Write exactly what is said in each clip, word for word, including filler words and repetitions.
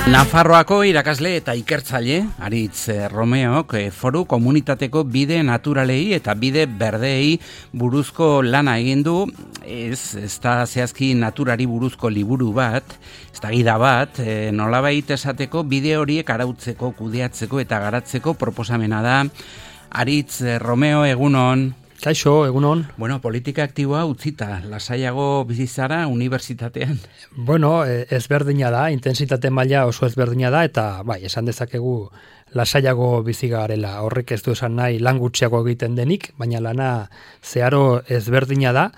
Nafarroako irakasle eta ikertzaile Aritz Romeok foru komunitateko bide naturalei eta bide berdeei buruzko lana egin du. Ez, ez da zehazki naturari buruzko liburu bat, ez da gida bat, e, nolabait esateko bide horiek arautzeko, kudeatzeko eta garatzeko proposamena da. Aritz Romeo, egunon. Kaixo, egunon. Bueno, politika aktiboa utzita, lasaiago bizizara unibertsitatean. Bueno, ezberdina da, intensitate maila oso ezberdina da, eta bai, esan dezakegu lasaiago bizi garela. Horrek ez du esan nahi lan gutxiago egiten denik, baina lana zeharo ezberdina da,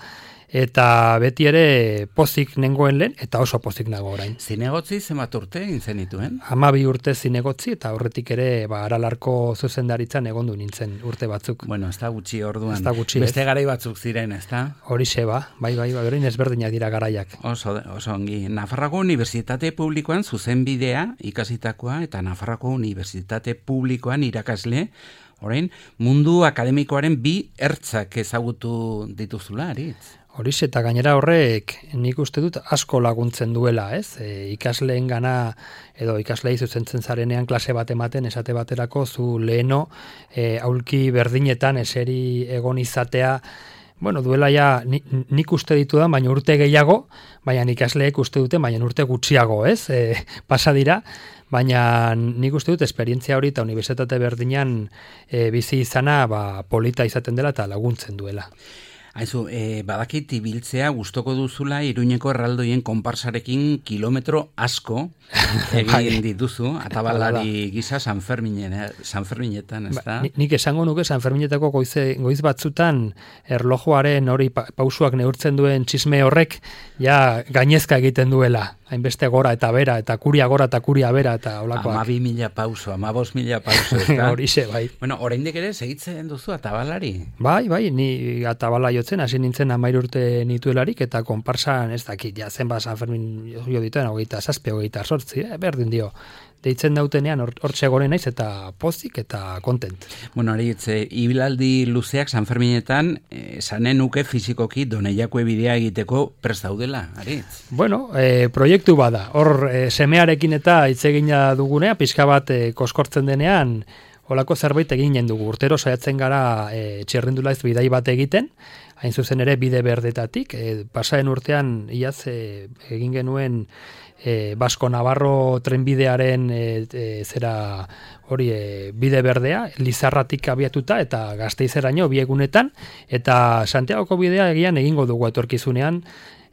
eta beti ere pozik nengoen lehen, eta oso pozik nago orain. Zinegotzi zenbat urte intzen dituen? Hamabi urte zinegotzi, eta horretik ere ba, Aralarko zuzendaritzan egondu nintzen urte batzuk. Bueno, ez da gutxi orduan. Ez da gutxi, beste garai batzuk ziren, ez da? Horixe ba, bai, bai, bai, orain ezberdinak dira garaiak. Oso, oso ongi. Nafarroako Unibertsitate Publikoan zuzenbidea ikasitakoa, eta Nafarroako Unibertsitate Publikoan irakasle, orain, mundu akademikoaren bi ertzak ezagutu dituzula, Aritz? Horixe, eta gainera horrek nik uste dut asko laguntzen duela, ez? E, ikasleen gana, edo ikaslei zuzentzen zarenean klase bat ematen, esate baterako zu leheno e, aulki berdinetan eseri egon izatea, bueno, duela ja ni, nik uste ditu da, baina urte gehiago, baina ikasleek uste dute, baina urte gutxiago, ez? E, pasa dira, baina nik uste dut esperientzia hori eta unibertsitate berdinean e, bizi izana ba, polita izaten dela eta laguntzen duela. Haizu, e, badakit ibiltzea gustoko duzula Iruñeko erraldoien konparsarekin kilometro asko egin dituzu, atabalari gisa San Ferminen, San Ferminetan, ez da? Ba, nik esango nuke San Ferminetako goize, goiz batzutan erlojuaren hori pa, pausuak neurtzen duen txisme horrek ja gainezka egiten duela. Hainbeste gora eta bera, eta kuria gora eta kuria bera, eta olakoak. Ama bi mila pauso, ama bost mila pauso, ez da? Horixe, bai. Bueno, oraindik ere segitzen duzu atabalari? Bai, bai, ni atabala jotzen, hasi nintzen hamairu urte nituelarik, eta konparsan, ez dakit, ja zenba San Fermin jo dituen, hogeita zazpi, hogeita sortzi, eh, berdin dio. Deitzen dautenean hortxe gore naiz eta pozik eta kontent. Bueno, Aritz, e, ibilaldi luzeak San Ferminetan esanen nuke fizikoki Doneiakue bidea egiteko prest daudela, Aritz? Bueno, e, proiektu bada. Hor e, semearekin eta hitz egina dugunea, pixka bat e, koskortzen denean, holako zerbait eginen dugu. Urtero saiatzen gara e, txirrindulaiz bidai bat egiten, hain zuzen ere bide berdetatik. E, pasaren urtean iaz e, egin genuen E, Basko Navarro trenbidearen e, e, zera hori e, bide berdea, Lizarratik abiatuta eta Gasteizeraino bi egunetan, eta Santiagoko bidea egian egingo dugu etorkizunean.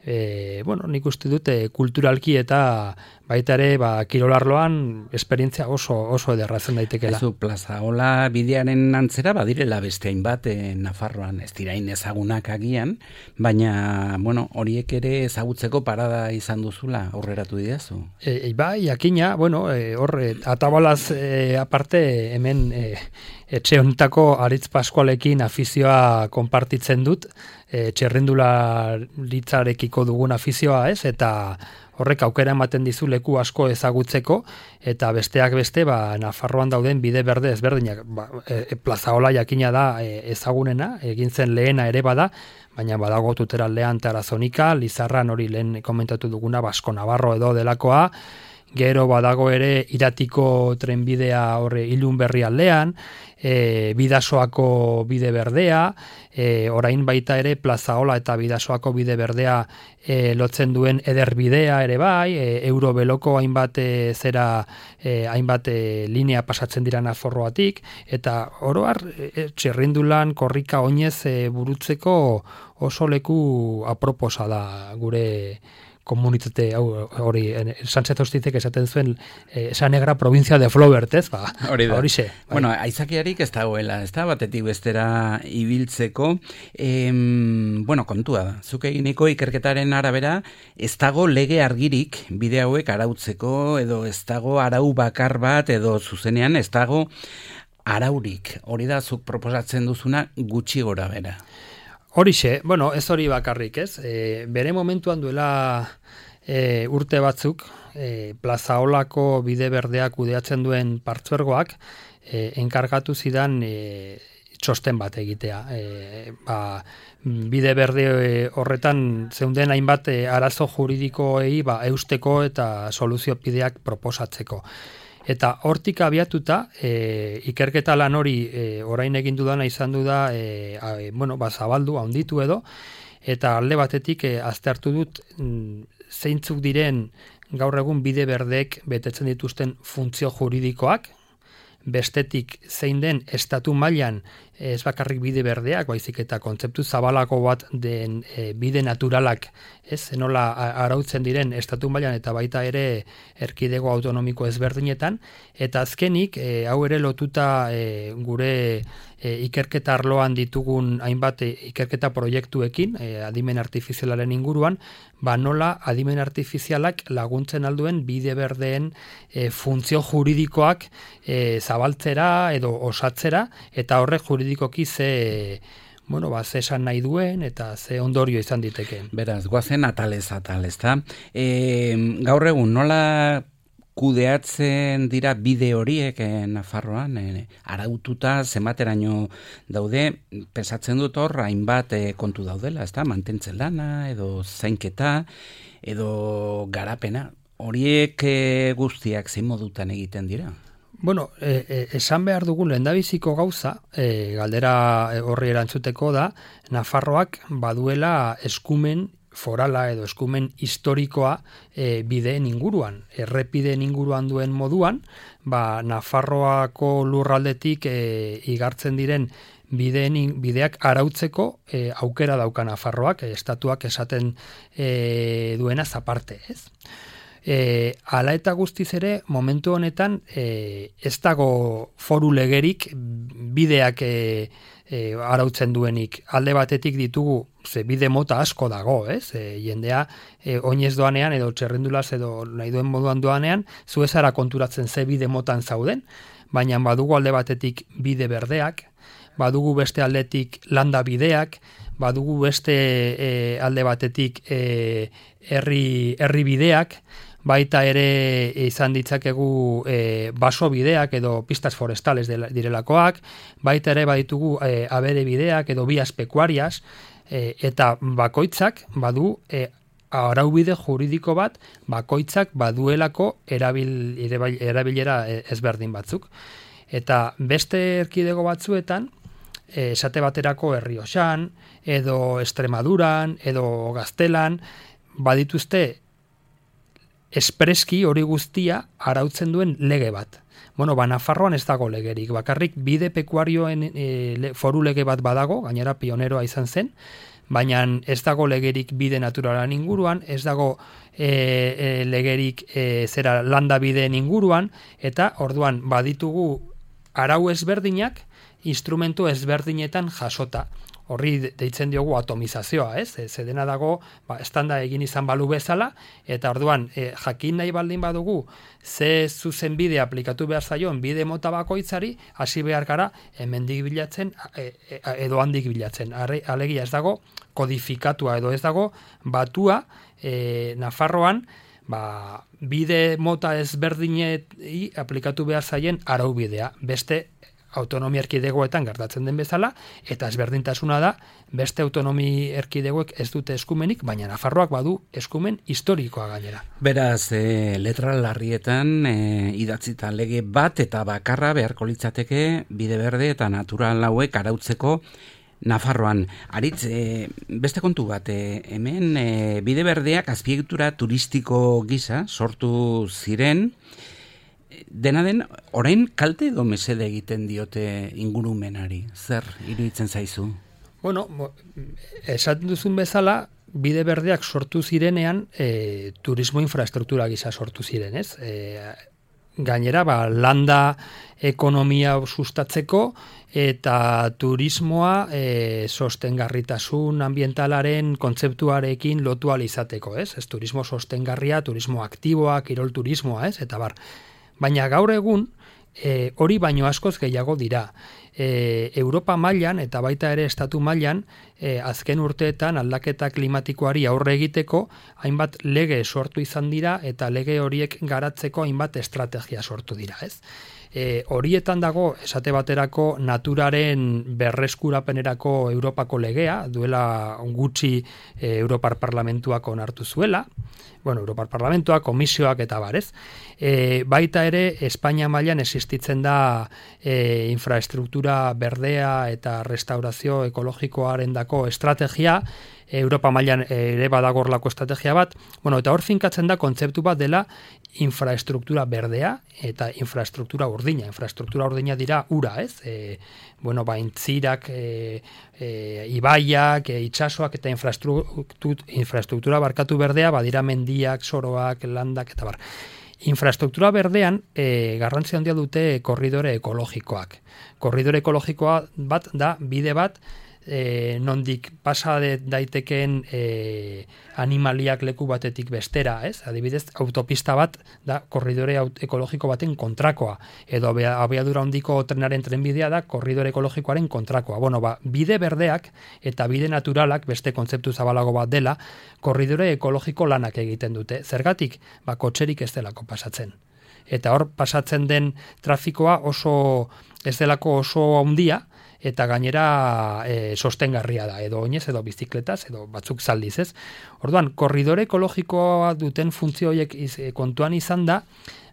E, bueno, nik uste dute kulturalki eta baita ere ba, kirolarloan esperientzia oso oso ederrazen daitekela. Ezu, Plazaola bidearen antzera badirela beste hainbat e, Nafarroan, ez dirain ezagunak agian, baina bueno, horiek ere ezagutzeko parada izan duzula aurreratu didazu. E, e, bai, jakina, bueno, e, hor e, atabalaz e, aparte hemen e, etxe honetako Aritz Pascualekin afizioa konpartitzen dut, e, txerrindularitzarekiko dugun afizioa, ez, eta horrek aukera ematen dizu leku asko ezagutzeko, eta besteak beste, ba, Nafarroan dauden bide berde ezberdinak. Ba, e, Plazaola jakina da e, ezagunena, egin zen lehena ere bada, baina badago Tuteraldean Tarazonika, Lizarran hori lehen komentatu duguna, Basko Navarro edo delakoa, gero badago ere Iratiko trenbidea horre Ilun Berri aldean, e, Bidasoako bide berdea, e, orain baita ere Plazaola eta Bidasoako bide berdea e, lotzen duen ederbidea ere bai, e, Eurobeloko hainbat e, zera e, hainbat e, linea pasatzen dira Nafarroatik, eta oroar e, txirrindulan korrika oinez e, burutzeko oso leku aproposa da gure komunitate hori, Sánchez Ostizek esaten zuen eh, San Negra provincia de Flaubert, ez? Ba, hori da. Horixe. Bai. Bueno, aizakiarik ez dagoela, ez da, batetik bestera ibiltzeko. Em, bueno, kontua da. Zuk eginiko ikerketaren arabera, ez dago lege argirik bide hauek arautzeko, edo ez dago arau bakar bat, edo zuzenean ez dago araurik. Hori da, zuk proposatzen duzuna gutxi gora bera. Horixe, bueno, ez hori bakarrik, ez? E, bere momentuan duela e, urte batzuk, e, Plazaolako bide berdeak kudeatzen duen partzuergoak, e, enkargatu zidan e, txosten bat egitea. E, ba, bide berde horretan zeunden hainbat e, arazo juridikoei ba, eusteko eta soluzio bideak proposatzeko. Eta hortik abiatuta, e, ikerketa lan hori e, orain egin dudana izan du da, e, a, bueno, ba, zabaldu, handitu edo, eta alde batetik e, aztertu dut m, zeintzuk diren gaur egun bide berdeek betetzen dituzten funtzio juridikoak, bestetik zein den estatu mailan ez bakarrik bide berdeak, baizik eta kontzeptu zabalako bat den e, bide naturalak, ez, nola arautzen diren estatu mailan eta baita ere erkidego autonomiko ezberdinetan, eta azkenik, e, hau ere lotuta e, gure e, ikerketa arloan ditugun hainbat e, ikerketa proiektuekin, e, adimen artifizialaren inguruan, ba nola adimen artifizialak laguntzen alduen bide berdeen e, funtzio juridikoak e, zabaltzera edo osatzera, eta horrek juridikoki ze, bueno, ba, ze esan nahi duen eta ze ondorio izan diteke. Beraz, goazen atalez atal, ezta? E, gaur egun, nola kudeatzen dira bide horiek eh, Nafarroan, eh, araututa zenbateraino daude, pensatzen dut hor, hainbat eh, kontu daudela, ezta? Mantentzen lana, edo zainketa, edo garapena. Horiek eh, guztiak zein modutan egiten dira? Bueno, e, e, esan behar dugun lehendabiziko gauza, e, galdera horri erantzuteko da, Nafarroak baduela eskumen forala edo eskumen historikoa e, bideen inguruan. Errepideen inguruan duen moduan, ba, Nafarroako lurraldetik e, igartzen diren bideen, bideak arautzeko e, aukera dauka Nafarroak, e, estatuak esaten e, duena zaparte, ez? E, ala eta guztiz ere, momentu honetan e, ez dago foru legerik bideak e, e, arautzen duenik. Alde batetik ditugu, ze bide mota asko dago, ez? E, jendea e, oinez doanean edo txerrendulaz edo nahi duen moduan doanean, zu ez ara konturatzen ze bide motan zauden, baina badugu alde batetik bide berdeak, badugu beste aldetik landa bideak, badugu beste e, alde batetik e, herri, herri bideak, baita ere izan ditzakegu e, baso bideak edo pistas forestales direlakoak, baita ere baditugu e, abere bideak edo bias pekuarias, e, eta bakoitzak badu e, araubide juridiko bat, bakoitzak baduelako erabil, erabilera ezberdin batzuk. Eta beste erkidego batzuetan, e, esate baterako Errioxan, edo Extremaduran, edo Gaztelan, badituzte espreski hori guztia arautzen duen lege bat. Bueno, ba, Nafarroan ez dago legerik, bakarrik bide pekuarioen e, foru lege bat badago, gainera pioneroa izan zen, baina ez dago legerik bide naturalan inguruan, ez dago e, e, legerik e, zera landa bideen inguruan, eta orduan baditugu arau ezberdinak, instrumentu ezberdinetan jasota. Horri deitzen diogu atomizazioa, ez? Ze dena dago, ba, estanda egin izan balu bezala, eta orduan, e, jakin nahi baldin badugu, ze zuzen bide aplikatu behar zaion bide mota bakoitzari, hasi behar gara, hemendik bilatzen, e, e, edo handik bilatzen. Arre, alegia ez dago, kodifikatua edo ez dago, batua, e, Nafarroan, ba, bide mota ezberdinei aplikatu behar zaien araubidea. Beste autonomia erkidegoetan gertatzen den bezala, eta ezberdintasuna da, beste autonomi erkidegoek ez dute eskumenik, baina Nafarroak badu eskumen historikoa gainera. Beraz, e, letra larrietan e, idatzita lege bat eta bakarra beharko litzateke bide berde eta natural hauek arautzeko Nafarroan. Aritz, e, beste kontu bat, e, hemen e, bide berdeak azpiegitura turistiko gisa sortu ziren, dena den, orain kalte edo mesede egiten diote ingurumenari? Zer iruditzen zaizu? Bueno, esaten duzun bezala, bide berdeak sortu zirenean e, turismo infrastruktura gisa sortu ziren, ez? E, gainera, ba, landa ekonomia sustatzeko eta turismoa e, sostengarritasun ambientalaren kontzeptuarekin lotu ahal izateko, ez? Ez turismo sostengarria, turismo aktiboa, kirol turismoa, ez? Eta bar. Baina gaur egun e, hori baino askoz gehiago dira. E, Europa mailan eta baita ere estatu mailan e, azken urteetan aldaketa klimatikoari aurre egiteko hainbat lege sortu izan dira eta lege horiek garatzeko hainbat estrategia sortu dira, ez? E, horietan dago, esate baterako, naturaren berreskurapenerako Europako legea, duela gutxi e, Europar Parlamentuak onartu zuela, bueno, Europar Parlamentuak, komisioak eta barez. E, baita ere, Espainia mailan existitzen da e, infraestruktura berdea eta restaurazio ekologikoaren dako estrategia, Europa mailan ere badagorlako estrategia bat, bueno, eta hor finkatzen da kontzeptu bat dela infraestruktura berdea eta infraestruktura urdina. Infraestruktura urdina dira ura, ez? E, bueno, ba, intzirak, e, e, ibaiak, e, itxasoak eta infraestruktura, infraestruktura barkatu berdea, badira mendiak, soroak, landak eta bar. Infraestruktura berdean e, garrantzi handia dute korridore ekologikoak. Korridore ekologikoa bat da bide bat E, nondik pasa daitekeen e, animaliak leku batetik bestera, ez? Adibidez, autopista bat da korridore ekologiko baten kontrakoa, edo abiadura handiko trenaren trenbidea da korridore ekologikoaren kontrakoa. Bueno, ba, bide berdeak eta bide naturalak beste kontzeptu zabalago bat dela, korridore ekologiko lanak egiten dute. Zergatik, ba, kotxerik ez delako pasatzen. Eta hor pasatzen den trafikoa oso ez delako oso handia, eta gainera e, sostengarria da, edo oinez, edo bizikletaz, edo batzuk zaldiz, ez? Orduan, korridore ekologikoa duten funtzio horiek iz, e, kontuan izan da,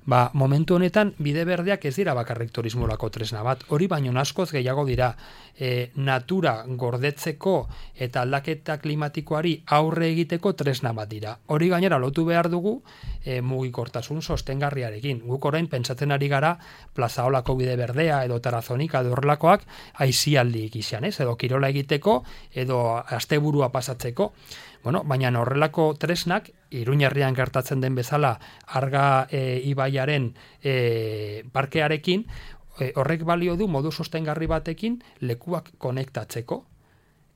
ba, momentu honetan bide berdeak ez dira bakarrik turismorako tresna bat, hori baino askoz gehiago dira e, natura gordetzeko eta aldaketa klimatikoari aurre egiteko tresna bat dira. Hori gainera lotu behar dugu e, mugikortasun sostengarriarekin. Guk orain pentsatzen ari gara Plazaolako bide berdea edo Tarazonika edo horrelakoak aisialdik izan, ez? Edo kirola egiteko edo asteburua pasatzeko. Bueno, baina horrelako tresnak, Iruñerrian gertatzen den bezala Arga e, ibaiaren e, parkearekin, e, horrek balio du modu sostengarri batekin lekuak konektatzeko.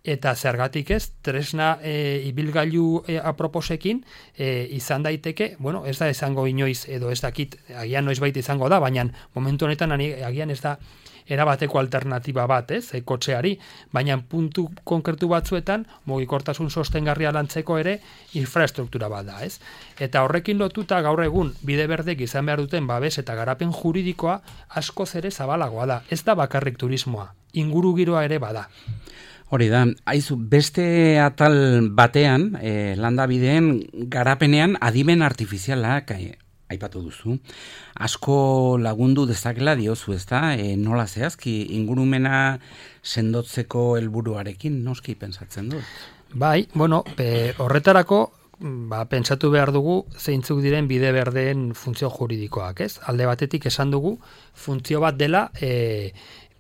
Eta zergatik ez, tresna e, ibilgailu e, aproposekin e, izan daiteke, bueno, ez da izango inoiz, edo ez dakit, agian noiz baita izango da, baina momentu honetan agian ez da erabateko alternatiba bat, ez, e, kotxeari, baina puntu konkretu batzuetan mugikortasun sostengarria lantzeko ere infraestruktura bat da, ez? Eta horrekin lotuta gaur egun bide berdek izan behar duten babes eta garapen juridikoa askoz ere zabalagoa da. Ez da bakarrik turismoa, ingurugiroa ere bada. Hori da, aizu, beste atal batean, eh, landabideen garapenean adimen artifizialak eh, aipatu duzu. Asko lagundu dezakela diozu, ezta? E, nola zehazki ingurumena sendotzeko helburuarekin noski pentsatzen dut? Bai, bueno, pe, horretarako ba, pentsatu behar dugu zeintzuk diren bide berdeen funtzio juridikoak, ez? Alde batetik esan dugu funtzio bat dela e,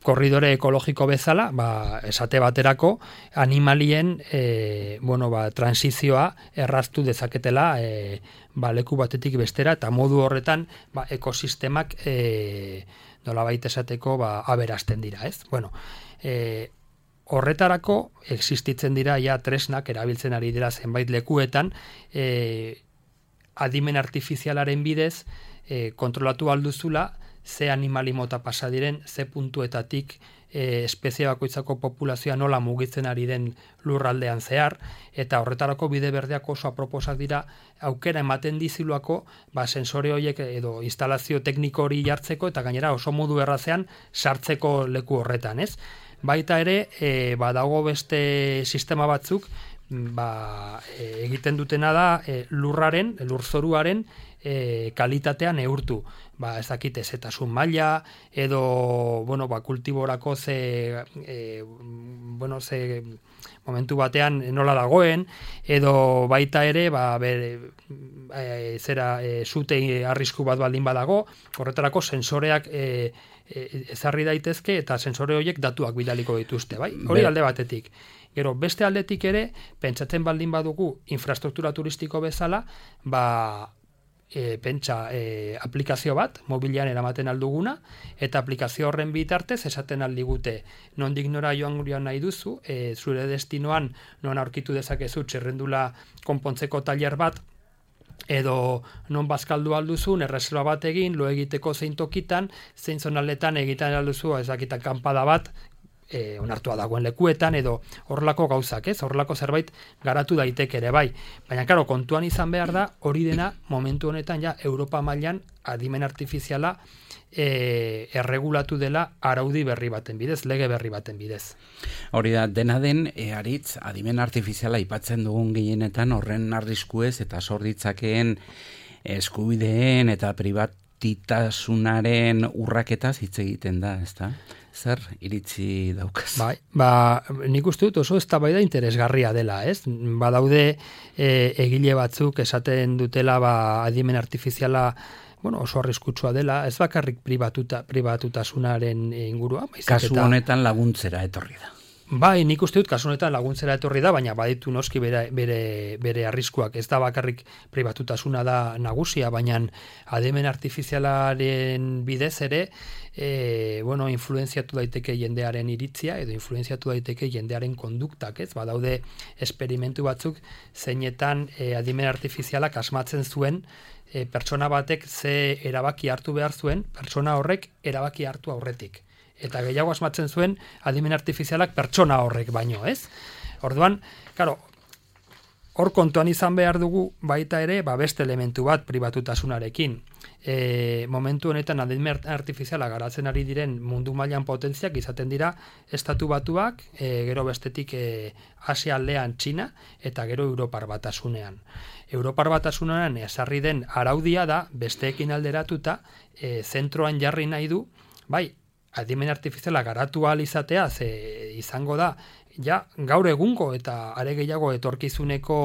korridore ekologiko bezala, ba, esate baterako, animalien e, bueno, ba, transizioa erraztu dezaketela e, ba, leku batetik bestera, eta modu horretan ba, ekosistemak e, nolabait esateko ba, aberazten dira, ez? Bueno, e, horretarako existitzen dira ja tresnak erabiltzen ari dira zenbait lekuetan, e, adimen artifizialaren bidez e, kontrolatu alduzula ze animali mota pasa diren, ze puntuetatik e, espezie bakoitzako populazioa nola mugitzen ari den lurraldean zehar, eta horretarako bide berdeak oso aproposak dira aukera ematen diziluako ba, sensore horiek edo instalazio tekniko hori jartzeko, eta gainera oso modu errazean sartzeko leku horretan, ez? Baita ere, e, badago beste sistema batzuk, ba, e, egiten dutena da e, lurraren, lurzoruaren e, kalitatea neurtu. Ba, ez dakite zetasun maila, edo, bueno, ba, kultiborako ze, e, bueno, ze momentu batean nola dagoen, edo baita ere, ba, bere, e, zera, e, zute arrisku bat baldin badago, horretarako sensoreak e, e, ezarri daitezke, eta sensore horiek datuak bidaliko dituzte, bai? Hori alde batetik. Gero, beste aldetik ere, pentsatzen baldin badugu infrastruktura turistiko bezala, ba, E, pentsa e, aplikazio bat, mobilean eramaten alduguna, eta aplikazio horren bitartez esaten aldigute nondik nora joan joan nahi duzu, e, zure destinoan non aurkitu dezakezu txerrendula konpontzeko tailer bat, edo non bazkaldu alduzun, erreserba bat egin, lo egiteko zein tokitan, zein zonaldetan egiten alduzu, ezakitan kanpada bat, e, onartua dagoen lekuetan, edo horrelako gauzak, ez? Horrelako zerbait garatu daiteke ere bai. Baina, karo, kontuan izan behar da, hori dena momentu honetan ja Europa mailan adimen artifiziala E, erregulatu dela araudi berri baten bidez, lege berri baten bidez. Hori da, dena den, e, aritz, adimen artifiziala aipatzen dugun gehienetan horren arriskuez eta sorditzakeen eskubideen eta privatitasunaren urraketaz hitz egiten da, ezta? Zer iritzi daukaz? Bai, ba, nik uste dut oso eztabaida interesgarria dela, ez? Badaude e, egile batzuk esaten dutela ba, adimen artifiziala bueno, oso arriskutsua dela, ez bakarrik pribatuta, pribatutasunaren ingurua. Kasu eta, honetan laguntzera etorri da. Bai, nik uste dut kasu honetan laguntzera etorri da, baina baditu noski bere, bere, bere arriskuak. Ez da bakarrik pribatutasuna da nagusia, baina adimen artifizialaren bidez ere, e, bueno, influenziatu daiteke jendearen iritzia, edo influenziatu daiteke jendearen konduktak, ez? Badaude esperimentu batzuk, zeinetan e, adimen artifizialak asmatzen zuen, E, pertsona batek ze erabaki hartu behar zuen, pertsona horrek erabaki hartu aurretik. Eta gehiago asmatzen zuen adimen artifizialak pertsona horrek baino, ez? Orduan, claro, hor kontuan izan behar dugu baita ere, ba beste elementu bat pribatutasunarekin. E, momentu honetan adimen artifiziala garatzen ari diren mundu mailan potentziak izaten dira estatu batuak, e, gero bestetik e, Asia aldean Txina eta gero Europar batasunean. Europar batasunean ezarri den araudia da besteekin alderatuta e, zentroan jarri nahi du, bai, adimen artifiziala garatu ahal izatea, ze izango da, ja, gaur egungo eta are gehiago etorkizuneko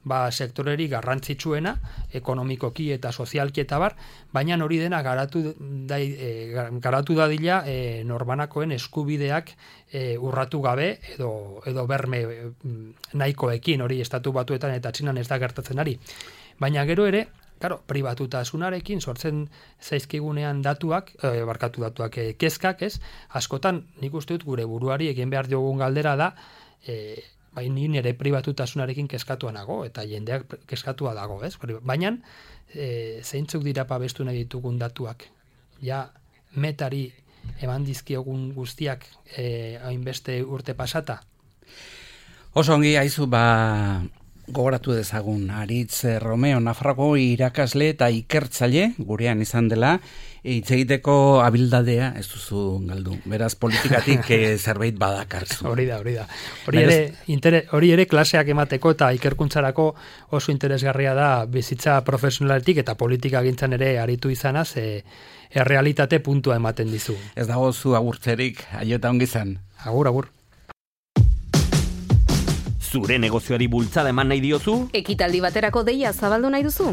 ba, sektoreri garrantzitsuena, ekonomikoki eta sozialki eta bar, baina hori dena garatu, da, e, garatu dadila e, norbanakoen eskubideak e, urratu gabe edo, edo berme e, nahikoekin, hori estatu batuetan eta Txinan ez da gertatzen ari. Baina gero ere, claro, pribatutasunarekin sortzen zaizkigunean datuak, e, barkatu datuak e, kezkak, ez? Askotan, nik uste dut gure buruari egin behar diogun galdera da, e, bai ni nire pribatutasunarekin kezkatua nago, eta jendeak kezkatua dago, ez? Baina, e, zeintzuk dira babestu nahi ditugun datuak? Ja, metari eman dizkiogun guztiak e, hainbeste urte pasata? Oso ongi haizu, ba, gogoratu dezagun, Aritz Romeo, Nafarroko irakasle eta ikertzaile, gurean izan dela, hitz egiteko abildadea ez duzu galdu. Beraz, politikatik zerbait badakarzu. Hori da, hori da. Hori ere, inter, hori ere klaseak emateko eta ikerkuntzarako oso interesgarria da bizitza profesionaletik eta politika gintzan ere aritu izanaz, e, errealitate puntua ematen dizu. Ez dago zu agurtzerik, aio eta ongi izan. Agur, agur. Zure negozioari bultzada eman nahi diozu? Ekitaldi baterako deia zabaldu nahi duzu?